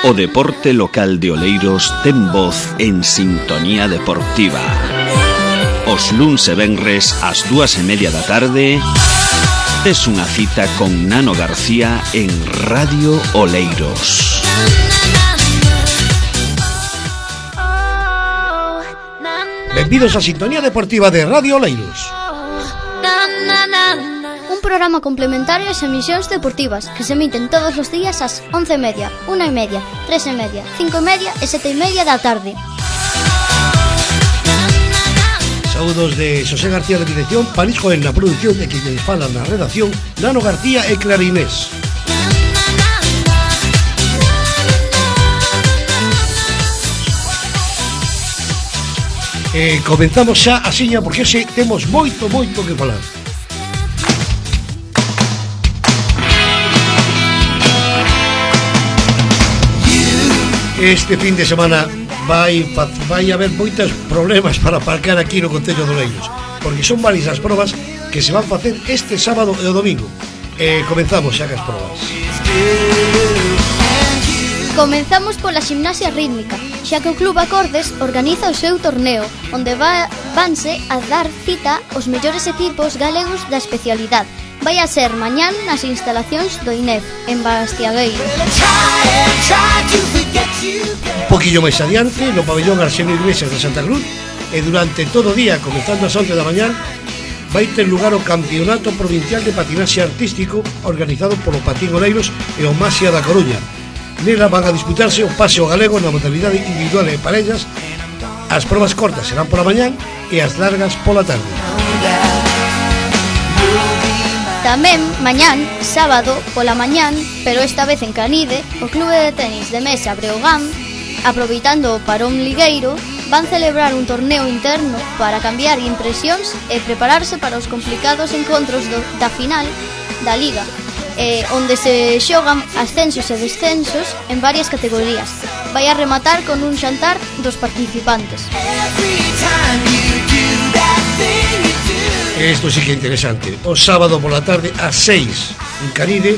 O deporte local de Oleiros ten voz en Sintonía Deportiva. Os luns e venres ás 2:30 da tarde tes unha cita con Nano García en Radio Oleiros. Benvidos a Sintonía Deportiva de Radio Oleiros. Un programa complementario ás emisións deportivas que se emiten todos os días ás 11:30, 1:30, 3:30, 5:30 e 7:30 da tarde. Saúdos de Xosé García de dirección, París Joel na produción e que lle fala na redacción, Nano García e Clarinés. Comenzamos xa a siña porque hoxe temos moito que falar. Este fin de semana vai haber moitos problemas para aparcar aquí no Concello de Oleiros, porque son varias as probas que se van facer este sábado e o domingo. Comenzamos xa cas probas. Comenzamos pola gimnasia rítmica, xa que o Club Acordes organiza o seu torneo, onde vanse a dar cita os mellores equipos galegos da especialidade. Vai a ser mañán nas instalacións do INEF, en Bastiagueiro. Un poquillo máis adiante, no pabellón Arsenio Iglesias de Santa Cruz, e durante todo o día, comenzando ás 11 da mañán, vai ter lugar o Campeonato Provincial de Patinaxe Artístico organizado polo Patín Oleiros e o Masia da Coruña. Nela van a disputarse o paseo galego na modalidade individual e parellas. As probas cortas serán pola mañán e as largas pola tarde. Tamén, mañán, sábado, pola mañán, pero esta vez en Canide, o Clube de Tenis de Mesa Breogán, aproveitando o parón ligueiro, van celebrar un torneo interno para cambiar impresións e prepararse para os complicados encontros da final da Liga, onde se xogan ascensos e descensos en varias categorías. Vai a rematar con un xantar dos participantes. Isto sí que é interesante. O sábado pola tarde ás 6 en Canide,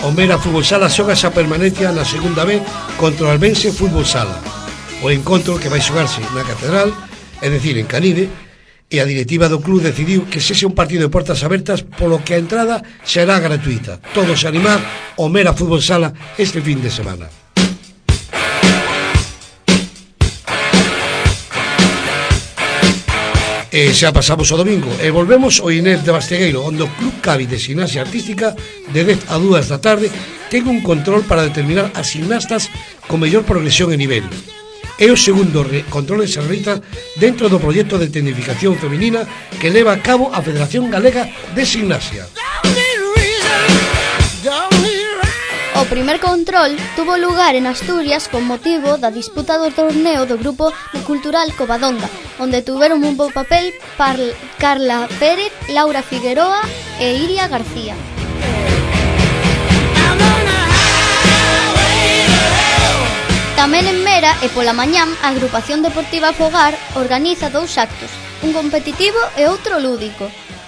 o Mera Fútbol Sala xoga esa permanencia na segunda B contra o Albense Fútbol Sala. O encontro que vai xogarse na Catedral, é dicir, en Canide, e a directiva do club decidiu que sexe un partido de portas abertas, polo que a entrada será gratuita. Todos a animar o Mera Fútbol Sala este fin de semana. E xa pasamos o domingo e volvemos ao INEF de Bastegueiro, onde o Club Cavi de Gimnasia Artística de 10 a 2 da tarde ten un control para determinar as gimnastas con mellor progresión e nivel. É o segundo control que se realiza dentro do proxecto de tecnificación feminina que leva a cabo a Federación Galega de Gimnasia. O primer control tuvo lugar en Asturias con motivo da disputa do torneo do Grupo Cultural Covadonga, onde tuveron un bo papel Carla Pérez, Laura Figueroa e Iria García. Tamén en Mera e pola mañán a Agrupación Deportiva Fogar organiza dous actos, un competitivo e outro lúdico.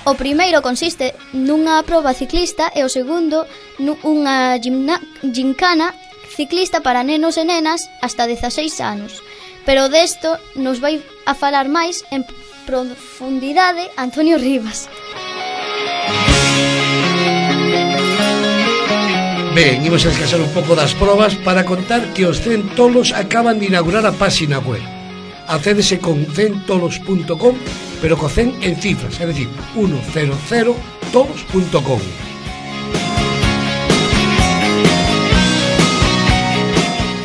O primeiro consiste nunha proba ciclista e o segundo nunha gincana ciclista para nenos e nenas hasta 16 anos. Pero desto nos vai a falar máis en profundidade Antonio Rivas. Ben, imos a descansar un pouco das probas para contar que os Centolos acaban de inaugurar a páxina web. Accédese con centolos.com, pero co 100 en cifras, é dicir, 100tolos.com.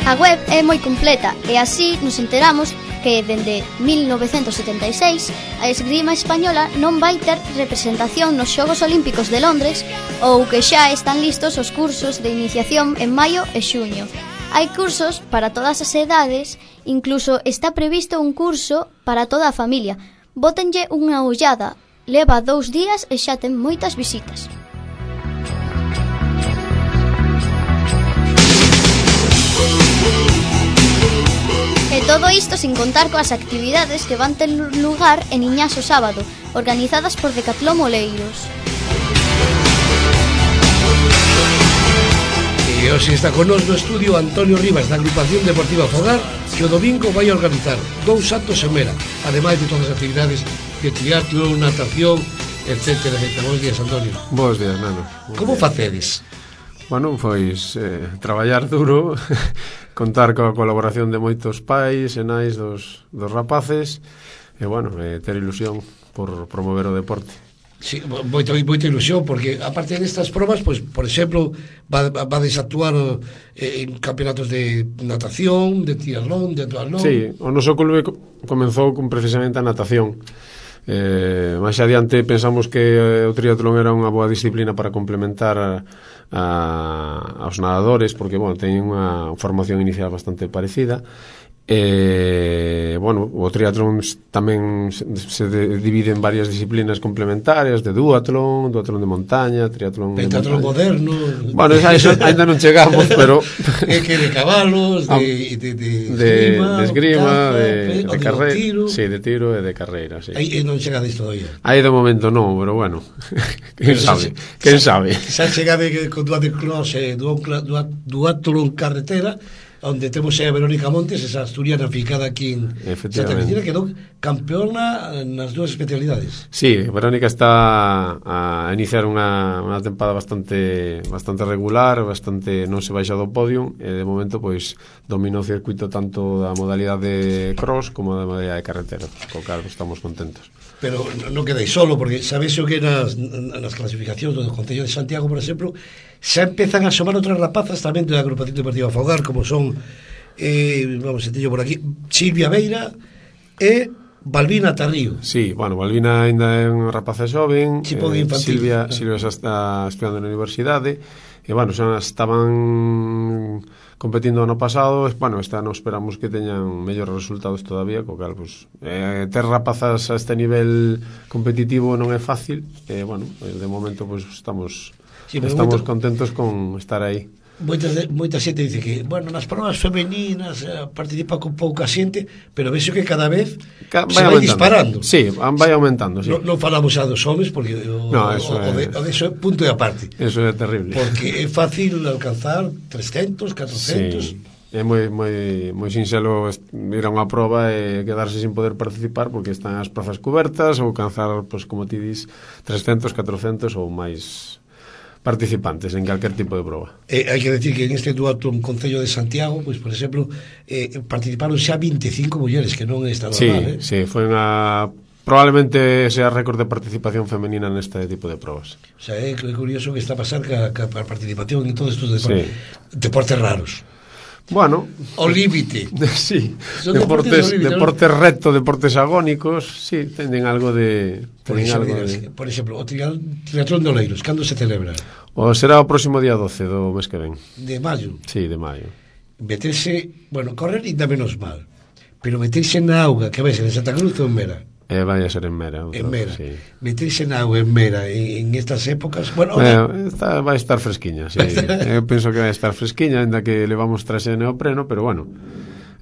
A web é moi completa e así nos enteramos que dende 1976 a esgrima española non vai ter representación nos Xogos Olímpicos de Londres ou que xa están listos os cursos de iniciación en maio e xuño. Hai cursos para todas as edades, incluso está previsto un curso para toda a familia. Bótenlle unha ollada, leva 2 días e xa ten moitas visitas. E todo isto sin contar coas actividades que van ter lugar en Iñas o sábado, organizadas por Decathlon Oleiros. E hoxe está con nos no estudio Antonio Rivas da Agrupación Deportiva Fogar, que o domingo vai a organizar 2 actos en Mera, ademais de todas as actividades de teatro, natación, etcétera, etcétera. Bos días, Antonio. Bos días, Nano. Como facedes? Bueno, pois traballar duro, contar coa colaboración de moitos pais e nais dos rapaces e, bueno, ter ilusión por promover o deporte. Sí, moita ilusión, porque aparte destas probas, pues, por exemplo, vades actuar en campeonatos de natación, de triatlón, de duatlón. Sí, o noso clube comenzou con precisamente a natación. Máis adiante pensamos que o triatlón era unha boa disciplina para complementar aos nadadores, porque, bueno, teñen unha formación inicial bastante parecida. Bueno, o triatlón tamén se divide en varias disciplinas complementarias, de duatlón de montaña, triatlón pentatlón moderno. Bueno, eso ainda non chegamos, pero é que de cabalos, de esgrima, de carreira, sí, de tiro e de carreira, sí. Aí non chegades todavía. Aí de momento non, pero bueno, quen sabe. Xa chegade con duatlón e duatlón carretera, onde temos a Verónica Montes, esa asturiana ficada aquí en Santa Cristina, que quedou campeona nas dúas especialidades. Sí, Verónica está a iniciar unha tempada bastante regular, bastante non se baixa do podio, e de momento pois domina o circuito tanto da modalidade cross como da modalidade carretera, co cal estamos contentos. Pero non quedai solo, porque sabes o que nas clasificacións do Concello de Santiago, por exemplo, xa empezan a asomar outras rapazas tamén da Agrupación Deportiva Fogar, como son vamos a teño por aquí, Silvia Beira e Balbina Tarrío. Sí, bueno, Balbina ainda é unha rapaza xoven, Silvia xa está estudiando na universidade, e, bueno, xa estaban competindo ano pasado, bueno, este ano esperamos que teñan mellores resultados todavía, co cal, pues, ter rapazas a este nivel competitivo non é fácil, e, bueno, de momento, pues, estamos contentos con estar aí. Moita xente dice que, bueno, nas provas femeninas participa con pouca xente, pero vexo que cada vez se vai disparando. Sí, vai aumentando, sí. Non falamos xa dos homes, porque o de eso é punto de aparte. Eso é terrible. Porque é fácil alcanzar 300, 400... Sí. É moi sinxelo ir a unha proba e quedarse sin poder participar porque están as prazas cubertas ou alcanzar, pues, como ti dis, 300, 400 ou máis participantes en calquer tipo de proba. Hai que decir que en este duatlón Concello de Santiago, pues, por exemplo, participaron xa 25 mulleres, que non é esta normal. Sí, foi probablemente sea récord de participación femenina neste tipo de probas. O sea, é curioso que está a pasar ca participación en todos estes deportes raros. Bueno, o límite. Sí, deportes reto, deportes agónicos, sí, teñen algo de... Por exemplo, o triatlón de Oleiros, cando se celebra? Será o próximo día 12 do mes que ven. De maio? Sí, de maio. Meterse, bueno, correr ainda menos mal, pero meterse na auga, que vais en Santa Cruz ou en Mera? Vai a ser en Mera. En Mera, sí. Meterse na auga en Mera en estas épocas, bueno, vai estar fresquiña, sí. Eu penso que vai estar fresquiña, ainda que levamos traxe de neopreno, pero bueno,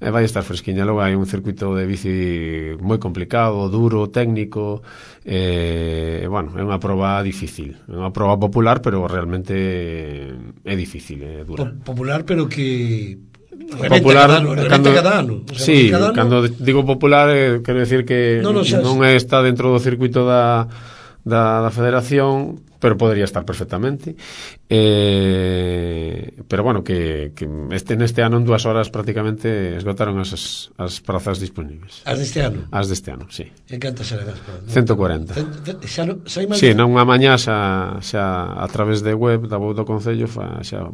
vai estar fresquiña. Logo hai un circuito de bici moi complicado, duro, técnico, bueno, é unha proba difícil, é unha proba popular, pero realmente é difícil, é dura. Popular, pero que... popular cada ano. O sea, sí, cando digo popular quero decir que non está dentro do circuito da federación, pero podría estar perfectamente, pero bueno, que neste ano en 2 horas prácticamente esgotaron as prazas disponibles. As deste ano? As deste ano, sí. En cantas serán as prazas? 140. Sí, non unha mañá xa a través de web da do Concello xa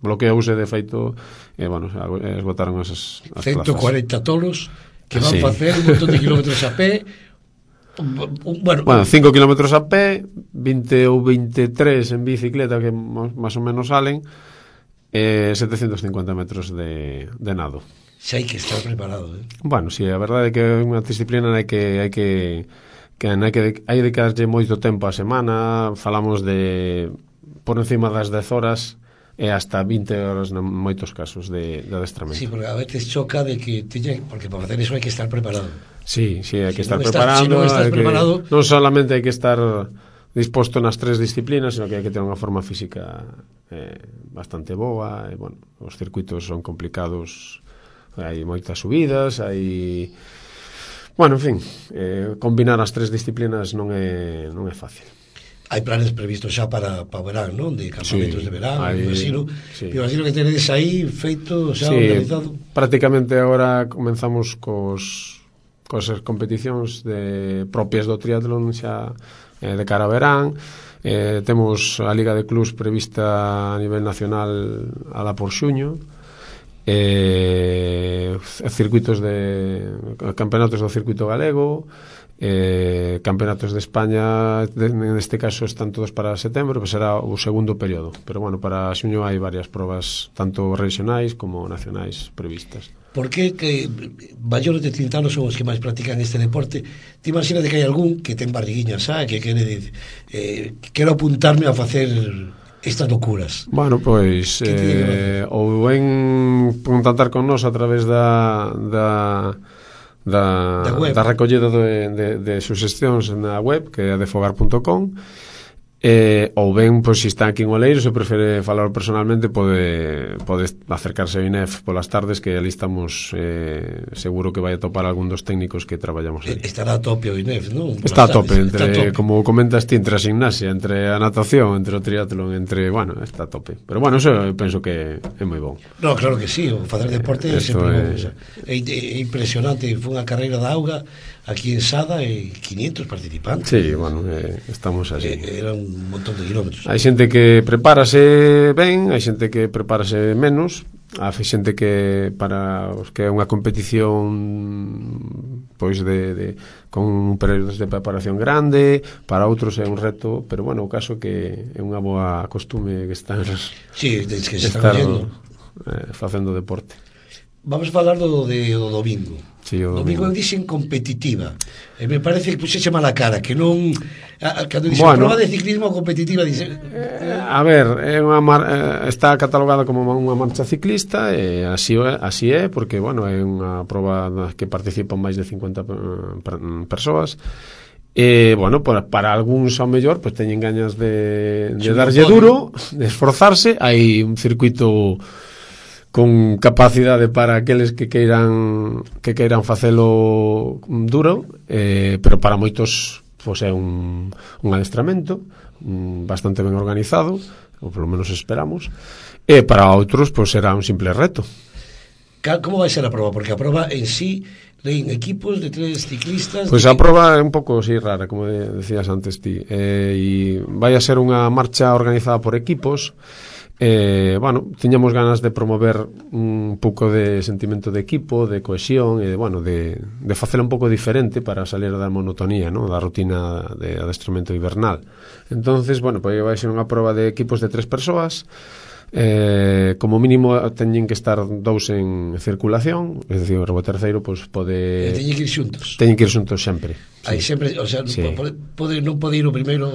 bloqueouse de feito e, bueno, esgotaron as 140 plazas. Tolos que van facer un montón de kilómetros a pé. Bueno, 5 kilómetros a pé, 20 ou 23 en bicicleta, que máis ou menos salen, 750 metros de nado. Xa hai que estar preparado, Bueno, sí, a verdade é que é unha disciplina hai de darlle moito tempo a semana. Falamos de por encima das 10 horas e hasta 20 horas en moitos casos de adestramento. Sí, porque a veces choca de que porque para facer eso hai que estar preparado. Sí, hai que estar preparado. Si non estás preparado, non solamente hai que estar disposto nas 3 disciplinas, sino que hai que ter unha forma física bastante boa, e, bueno, os circuitos son complicados, hai moitas subidas, hai... Bueno, en fin, combinar as 3 disciplinas non é fácil. Hai planes previstos xa para o verán, non? De campamentos de verán, imagino que tenedes aí feito, xa organizado. Prácticamente agora comenzamos cos competicións propias do triatlón xa de cara a verán. Temos a Liga de Clubs prevista a nivel nacional alá por xuño, circuitos campeonatos do circuito galego, campeonatos de España, neste caso están todos para setembro, pues será o segundo período, pero bueno, para xuño hai varias probas tanto regionais como nacionais previstas. Por que maiores de 30 anos son os que máis practican este deporte? Te imaginas que hai algún que ten barriguiña xa, que quero apuntarme a facer estas locuras? Bueno, pois ou ven contactar con nós a través da recollida de suxestións na web, que é adefogar.com, ou ben, pois, se está aquí en Oleiros e prefere falar personalmente, pode acercarse ao INEF polas tardes, que ali estamos, seguro que vai a topar algún dos técnicos que traballamos ali. Estará a tope o INEF, non? Está a tope, como comentas ti, entre a gimnasia, entre a natación, entre o triatlón, bueno, está a tope. Pero bueno, eso eu penso que é moi bon. No, claro que sí, o facer deporte é sempre bon. É impresionante, foi unha carreira da auga aquí en Sada e 500 participantes. Sí, bueno, estamos así. Era un montón de kilómetros. Hai xente que prepárase ben, hai xente que prepárase menos, hai xente que para os que é unha competición pois con un período de preparación grande, para outros é un reto, pero bueno, o caso que é unha boa costume que están que se están facendo deporte. Vamos a falar do domingo. Sí, o domingo eu dixen competitiva, e me parece que puxeche mala cara, que non cando dixen prova de ciclismo competitiva dixen... a ver, está catalogada como unha marcha ciclista, e así é, porque bueno, é unha prova que participan máis de 50 persoas, e bueno, para algúns ao mellor pues, teñen gañas de darlle duro, de esforzarse. Hai un circuito con capacidade para aqueles que queiran facelo duro, pero para moitos pois é un adestramento bastante ben organizado, ou polo menos esperamos, e para outros pois será un simple reto. Como vai ser a prova? Porque a prova en sí en equipos de 3 ciclistas. Pois a prova é un pouco así rara, como decías antes ti, e vai a ser unha marcha organizada por equipos. Bueno, tiñamos ganas de promover un pouco de sentimento de equipo, de cohesión, e bueno, de facelo un pouco diferente para salir da monotonía, ¿no? Da rutina de adestramento invernal. Entonces, bueno, pues vai ser unha prova de equipos de 3 persoas. Como mínimo teñen que estar 2 en circulación, é dicir, o terceiro pues, pode... Teñen que ir xuntos. Teñen que ir xuntos sempre. Aí sempre, o sea, sí. non pode ir o primeiro...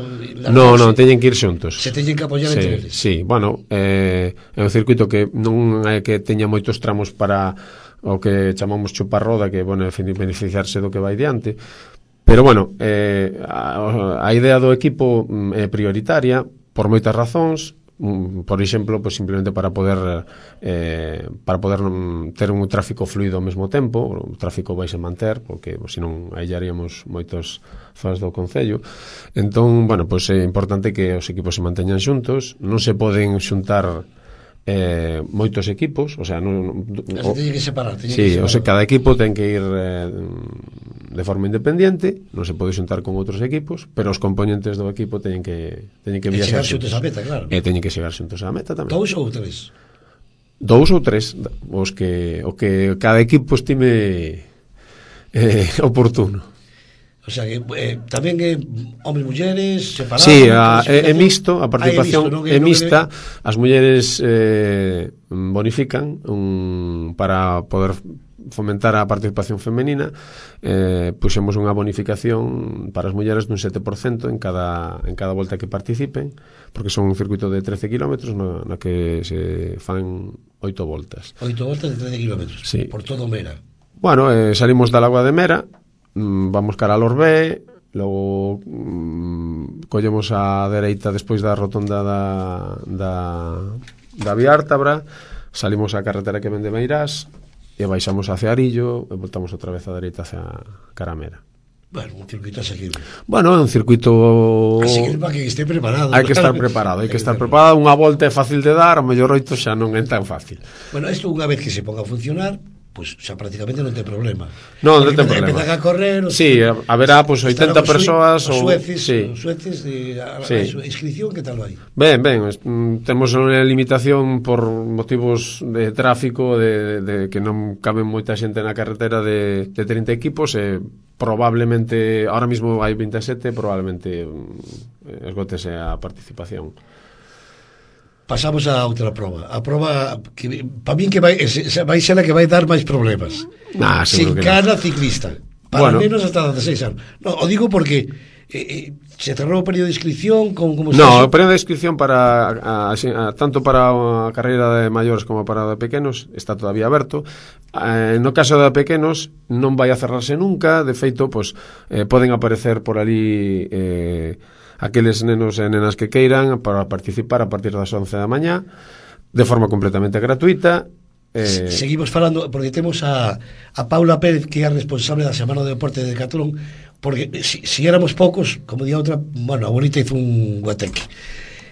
Non, teñen que ir xuntos. Se teñen que apoiar entre eles. Sí, bueno, é un circuito que non é que teña moitos tramos para o que chamamos chupar roda, que, bueno, beneficiarse do que vai diante. Pero, bueno, a idea do equipo é prioritaria por moitas razóns. Por exemplo, pues simplemente para poder ter un tráfico fluido ao mesmo tempo. O tráfico vai se manter, porque senón aillaríamos moitos fans do concello. Entón, bueno, pues é importante que os equipos se manteñan xuntos. Non se poden xuntar moitos equipos, o sea, teñen que separar. Sí, o sea, cada equipo ten que ir de forma independiente, non se pode xuntar con outros equipos, pero os componentes do equipo teñen que viaxar xuntos á meta, claro. E teñen que chegar xuntos á meta tamén. 2 ou 3? 2 ou 3, o que cada equipo estime oportuno. O sea, que tamén é homes, mulleres, separados. Sí, é mixto, a participación é mixta. As mulleres bonifican para poder fomentar a participación femenina. Puxemos unha bonificación para as mulleres dun 7% en cada volta que participen, porque son un circuito de 13 kilómetros na que se fan 8 voltas. 8 voltas de 13 kilómetros, sí. Por todo Mera. Bueno, salimos da Lagoa de Mera, vamos cara a Lorbé, logo collemos a dereita despois da rotonda da Viártabra, salimos á carretera que vende Meirás e baixamos hacia Arillo e voltamos outra vez a dereita hacia Caramera. Bueno, un circuito asequible. Bueno, é un circuito asequible para que este preparado. Hai que estar preparado, Unha volta é fácil de dar, o mellor 8 xa non é tan fácil. Bueno, isto unha vez que se ponga a funcionar, pues xa prácticamente non ten problema. Non ten problema. Empezan a correr, sí, haberá pues 80 persoas ou sueces, sí. A inscripción que tal vai? Ben, temos unha limitación por motivos de tráfico de que non caben moita xente na carretera de 30 equipos e probablemente, ahora mismo hai 27, probablemente esgótese a participación. Pasamos a outra proba. A proba que para min que vai ser a que vai dar máis problemas. Sin cara ciclista. Para menos hasta 16 anos. No, o digo porque se cerrou o período de inscripción como o período de inscripción para tanto para a carreira de maiores como para a de pequenos está todavía aberto. No caso de pequenos non vai a cerrarse nunca. De feito, pois poden aparecer por ali aqueles nenos e nenas que queiran para participar a partir das 11 da mañá de forma completamente gratuita. Seguimos falando porque temos a Paula Pérez, que é a responsable da Semana do Deporte de Decathlon, porque si éramos poucos, como di outra, bueno, a bonita hizo un guateque.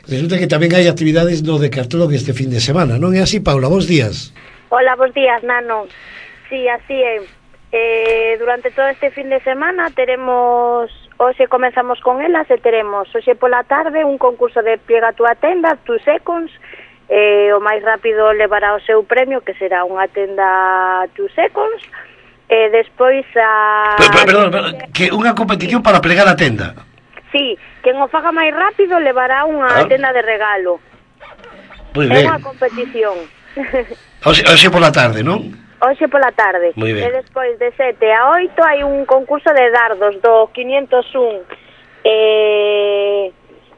Resulta que tamén hai actividades no Decathlon este fin de semana, non é así, Paula? Bos días. Hola, bos días, Nano. Sí, así é. Durante todo este fin de semana teremos, hoxe comenzamos con elas e teremos hoxe pola tarde un concurso de Pliega a túa tenda, 2 seconds. O máis rápido levará o seu premio, que será unha tenda 2 seconds. Despois Perdón, que unha competición para plegar a tenda. Sí, quen o faga máis rápido levará unha tenda de regalo. É unha competición. Hoxe pola tarde, non? Hoxe pola tarde. E despois de 7 a 8 hai un concurso de dardos do 501.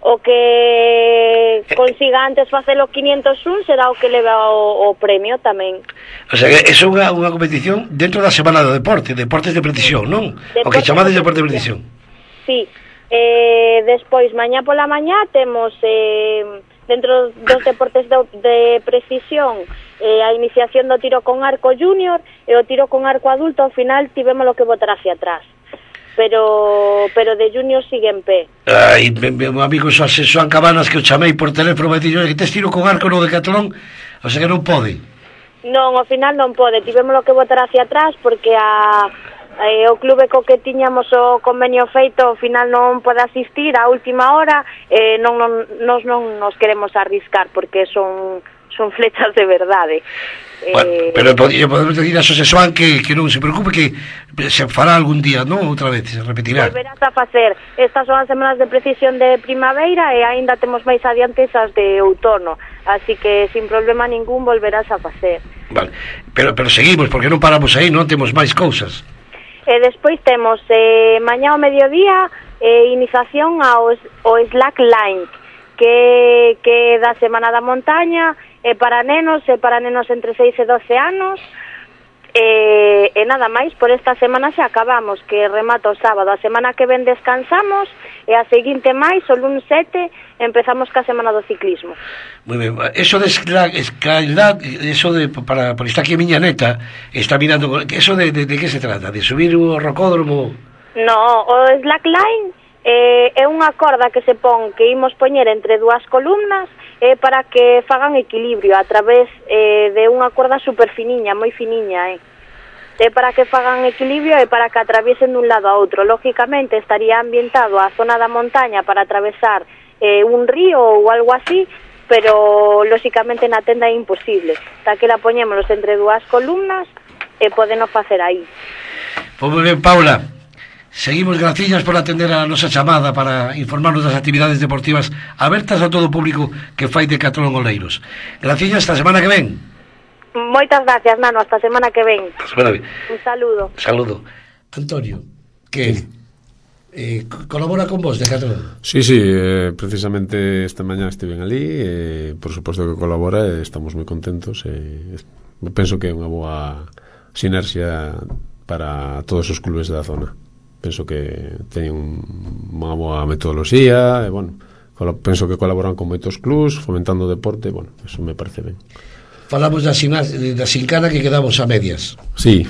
O que consiga antes facer o 501 será o que leva o premio tamén. O sea, que é unha competición dentro da Semana do Deporte, deportes de precisión, non? O que chamades deporte de precisión. Sí. Despois, mañá pola mañá, temos dentro dos deportes de precisión a iniciación do tiro con arco junior e o tiro con arco adulto. Ao final tivemos lo que botar hacia atrás, pero de junior sigue en pé. Ai, meu amigo Xoan Cabanas, que o chamei por teléfono, vai dicir que tes tiro con arco no Decathlon, o sea que non pode. Non, ao final non pode, tivemos lo que botar hacia atrás porque o clube co que tiñamos o convenio feito ao final non pode asistir á última hora. Nos non nos queremos arriscar porque son flechas de verdade. Bueno, pero podemos decir a Xosé Xoan que non se preocupe, que se fará algún día, non? Outra vez, se repetirá. Volverás a facer. Estas son as semanas de precisión de primavera e aínda temos máis adiante esas de outono, así que sin problema ningún volverás a facer. Vale, pero seguimos, porque non paramos aí, non temos máis cousas. E despois temos mañá ao mediodía iniciación ao slackline, que da Semana da Montaña, para nenos entre 6 e 12 anos. E nada máis, por esta semana xa acabamos, que remata o sábado. A semana que ven descansamos e a seguinte máis, o lunes 7, empezamos ca Semana do Ciclismo. Moi ben, eso de escalidad, eso de, por está aquí a miña neta, está mirando, eso de que se trata? De subir o rocódromo? No, o slackline é unha corda que se pon, que imos poñer entre dúas columnas para que fagan equilibrio a través de unha corda super finiña, moi finiña, é para que fagan equilibrio e para que atraviesen dun lado a outro. Lógicamente estaría ambientado a zona da montaña para atravesar un río ou algo así, pero lógicamente na tenda é imposible. Daquela poñémonos entre dúas columnas e podeno facer aí. Pois moi ben, Paula, seguimos, graciñas por atender a nosa chamada para informarnos das actividades deportivas abertas a todo o público que fai Decathlon Oleiros. Graciñas, hasta a semana que ven. Moitas gracias, Nano, hasta a semana que ven. Un saludo. Saludo. Antonio, que colabora con vos, Decathlon? Sí, precisamente esta mañá estiven ali, por suposto que colabora, estamos moi contentos, penso que é unha boa sinerxia para todos os clubes da zona. penso que teñen unha boa metodoloxía, e, bueno, penso que colaboran con moitos clubs fomentando o deporte, bueno, eso me parece ben. Falamos da Sincana que quedamos a medias. Sí,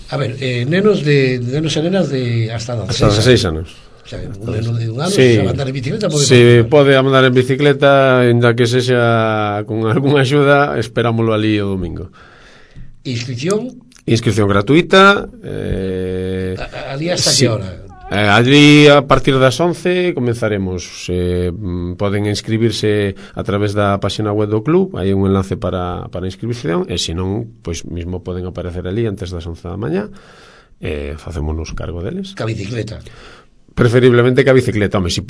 a ver, nenos e nenas de hasta 16 anos. O sea, un neno de un ano, sí, se andar en bicicleta pode pode andar en bicicleta, ainda que sexa con algunha axuda, esperámoslo ali o domingo. Inscripción gratuita. Ali hasta que hora? Allí a partir das 11 comenzaremos. Poden inscribirse a través da página web do club, hai un enlace para inscripción, e se non, pois mismo poden aparecer ali antes das 11 da mañá, facémonos cargo deles. Ca bicicleta? Preferiblemente ca bicicleta. Home, se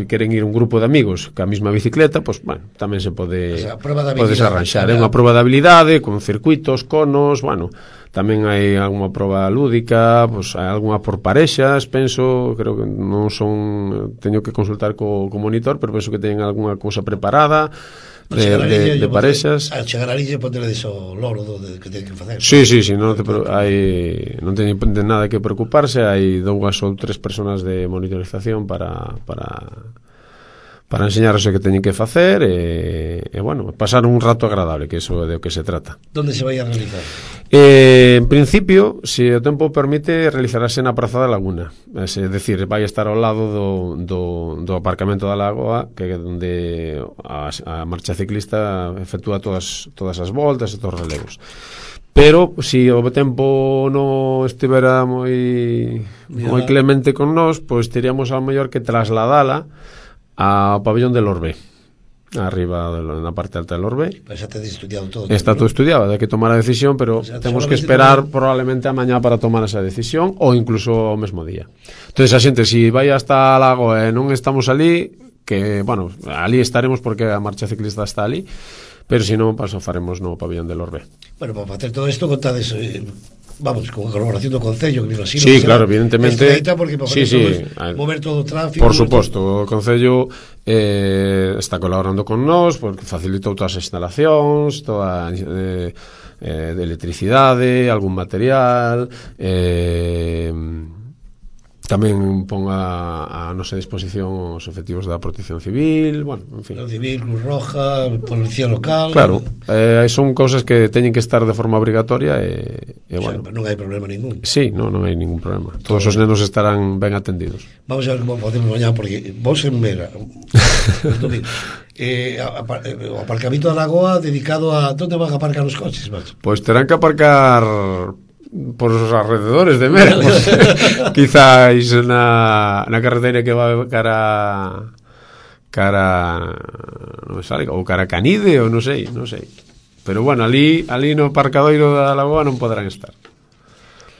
queren ir un grupo de amigos ca mesma bicicleta, pois, bueno, tamén se pode, podes arranxar. É unha proba de habilidade con circuitos, conos, bueno, tamén hai algunha proba lúdica, pois hai algunha por parexas, penso, creo que non son, teño que consultar co monitor, pero penso que teñen algunha cousa preparada de parexas. A chegar a Lille poderedes o loro que ten que facer. Sí, non teñen nada que preocuparse, hai 2 ou 3 personas de monitorización para enseñaros o que teñen que facer e bueno, pasar un rato agradable, que iso é do que se trata. Onde se vai a realizar? En principio, se o tempo permite, realizarase na Praza da Laguna, é dicir, vai estar ao lado do aparcamento da Lagoa, que é onde a marcha ciclista efectúa todas as voltas e todos os relevos. Pero se o tempo non estivera moi clemente con nós, pois teríamos ao mellor que trasladala ao pabellón del Orbe, arriba na parte alta del Orbe. Pues xa te has estudiado todo. Está todo estudiado, hai que tomar a decisión, pero temos que esperar probablemente a mañá para tomar esa decisión, ou incluso o mesmo día. Entonces a xente, se vai hasta a Lago e non estamos ali, que, bueno, ali estaremos porque a marcha ciclista está ali, pero se non, paso faremos no pabellón del Orbe. Bueno, para facer todo isto, contades, vamos, con a colaboración do Concello, que me imagino. Sí, claro, evidentemente. Porque para mover todo o tráfico. Por suposto, o Concello está colaborando con nós, porque facilitou todas as instalacións, toda de electricidade, algún material, tamén pon a nosa disposición os efectivos da Protección Civil, bueno, en fin. Protección Civil, Cruz Roja, Policía Local. Claro, son cousas que teñen que estar de forma obrigatoria e bueno. Non hai problema ningún. Sí, non hai ningún problema. Todos os nenos estarán ben atendidos. Vamos a ver como podemos mañá, porque vos en Mera, o aparcamento da Lagoa dedicado a... Onde van a aparcar os coches, macho? Pois terán que aparcar por os alrededores de Mera, quizáis na carretera que va cara non sale, ou cara Canide, ou non sei, pero bueno, ali no aparcadoiro da Lagoa non poderán estar.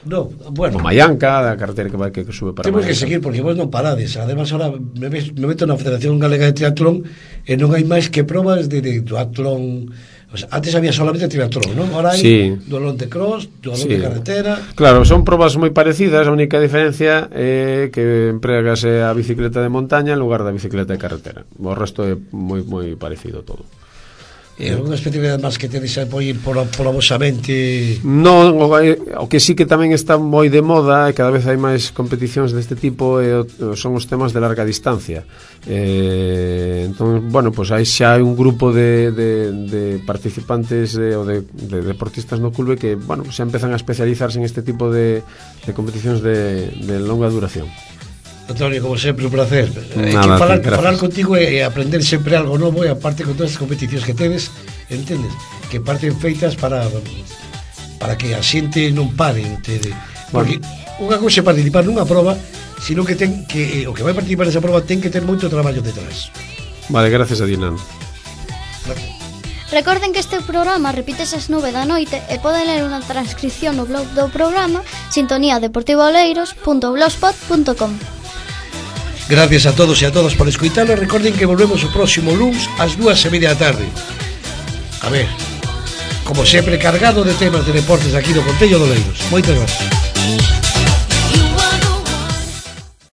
No, bueno, o Maianca, da carretera que sube para temos Maianca. Que seguir, porque vos non parades. Además, ahora me meto na Federación Galega de Triatlón e non hai máis que probas de triatlón. O sea, antes había solamente triatlón, non? Ahora hai dualón de cross, dualón de carretera. Claro, son probas moi parecidas. A única diferencia é que empregase a bicicleta de montaña en lugar da bicicleta de carretera. O resto é moi parecido todo. E alguna especialidade máis que tedes aí pola vosa mente? Non, o que sí que tamén está moi de moda e cada vez hai máis competicións deste tipo son os temas de larga distancia. Entón, bueno, pues aí xa hai un grupo de participantes ou de deportistas no clube que, bueno, xa empezan a especializarse en este tipo de competicións de longa duración. Antonio, como sempre, un placer. Falar contigo e aprender sempre algo novo, e aparte con todas as competicións que tedes, entendes? Que parten feitas para que a xente non pare, entende? Porque unha cousa é participar nunha proba, sino que ten que o que vai participar nesa proba ten que ter moito traballo detrás. Vale, gracias a Dinan. Recorden que este programa repítese ás 9 da noite e poden ler unha transcripción no blog do programa sintoniadeportivaoleiros.blogspot.com. Gracias a todos e a todas por escoitalo. Recorden que volvemos o próximo luns ás 2:30 da tarde. A ver, como sempre, cargado de temas de deportes aquí do Concello de Oleiros. Moitas gracias.